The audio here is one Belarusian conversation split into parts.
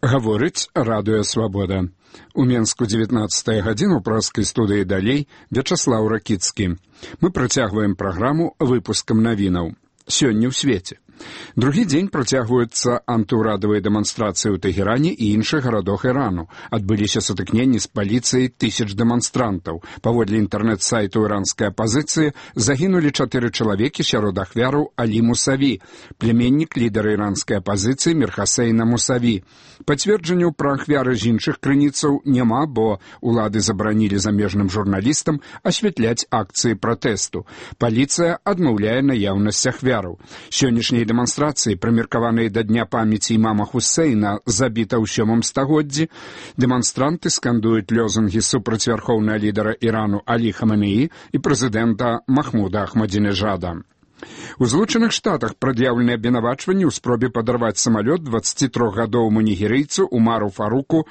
Гаворыць радыё «Свабода». У Менску 19 гадзіну ў праскай студыі «Далей» Вячаслаў Ракіцкі. Мы працягваем праграму выпускам навінаў. Сёння ў свеце. Другі дзень працягваюцца антыўрадавыя дэманстрацыі ў Тэгеране і іншых гарадах Ірану. Адбыліся сутыкненні з паліцыяй тысяч дэманстрантаў. Паводле інтэрнэт-сайту іранскай апазіцыі загінулі 4 чалавекі, сярод ахвяраў Алі Мусаві, племяннік лідара іранскай апазіцыі Мірхасейна Мусаві. Пацверджанняў пра ахвяры з іншых крыніцаў няма, бо улады забаранілі замежным журналістам асвятляць акцыі пратэсту. Паліцыя адмаўляе наяўнасць ахвяраў. Сённяшнія дэманстрацыі, прымеркаваныя да дня памяці імама Хусейна, забіта ў 7 стагоддзі, дэманстранты скандуюць лозунгі супраць вярхоўнага лідара Ірану Алі Хаменеі і прэзідэнта Махмуда Ахмадзінежада. У Злучаных Штатах прад'яўлены абвінавачванні ў спробе падарваць самалёт 23-гадоваму нігерыйцу Умару Фаруку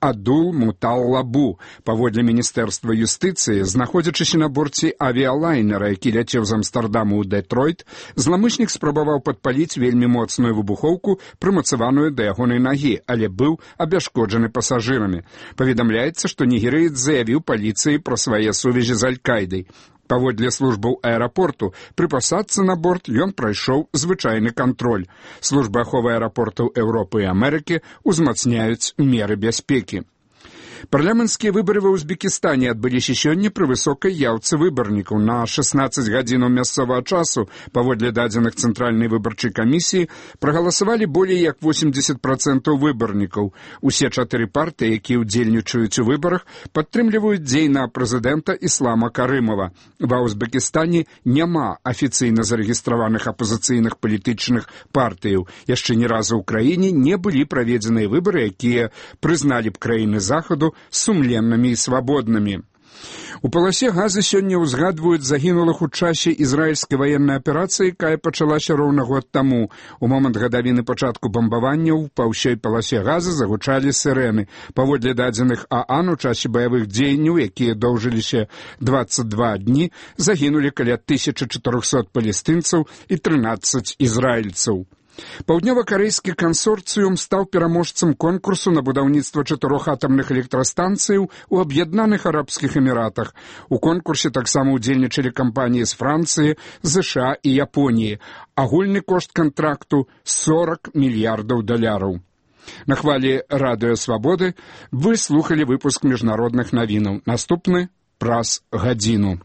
Адул-Муталлабу. Паводле Міністэрства юстыцыі, знаходзячыся на борце авіялайнера, які ляцеў з Амстардаму ў Дэтройт, зламыснік спрабаваў падпаліць вельмі моцную выбухоўку, прымацаваную да ягонай нагі, але быў абяшкоджаны пасажырамі. Паведамляецца, што нігерыец заявіў паліцыі пра свае сувязі з Аль-Кайдай. Паводле службаў аэрапорту, пры пасадцы на борт ён прайшоў звычайны кантроль. Службы аховы аэрапортаў Еўропы і Амерыкі узмацняюць меры бяспекі. Парламенцкія выбары ва Узбекістане адбыліся сёння пры высокай яўцы выбарнікаў. На 16 гадзінаў мясцовага часу, паводле дадзеных Цэнтральнай выбарчай камісіі, прагаласавалі болей як 80% выбарнікаў. Усе 4 партыі, якія ўдзельнічаюць у выбарах, падтрымліваюць дзейнага прэзідэнта Іслама Карымова. Ва Узбекістане няма афіцыйна зарэгістраваных апазіцыйных палітычных партыяў. Яшчэ ні разу ў краіне не былі праведзеныя выбары, якія прызналі б краіны захаду сумленнымі і свабоднымі. У паласе Газы сёння ўзгадваюць загінулых у часе ізраільскай ваеннай аперацыі, якая пачалася роўна год таму. У момант гадавіны пачатку бамбаванняў па ўсёй паласе Газы загучалі сірэны. Паводле дадзеных ААН у часе баявых дзеянняў, якія доўжыліся 22 дні, загінулі каля 1400 палестынцаў і 13 ізраільцаў. Паўднёва-карэйскі кансорцыум стаў пераможцам конкурсу на будаўніцтва 4 атамных электрастанцыяў у Аб'яднаных Арабскіх Эміратах. У конкурсе таксама ўдзельнічалі кампаніі з Францыі, ЗША і Японіі. Агульны кошт кантракту – $40 мільярдаў. На хвалі радыё «Свабоды» вы слухалі выпуск міжнародных навінаў. Наступны праз гадзіну.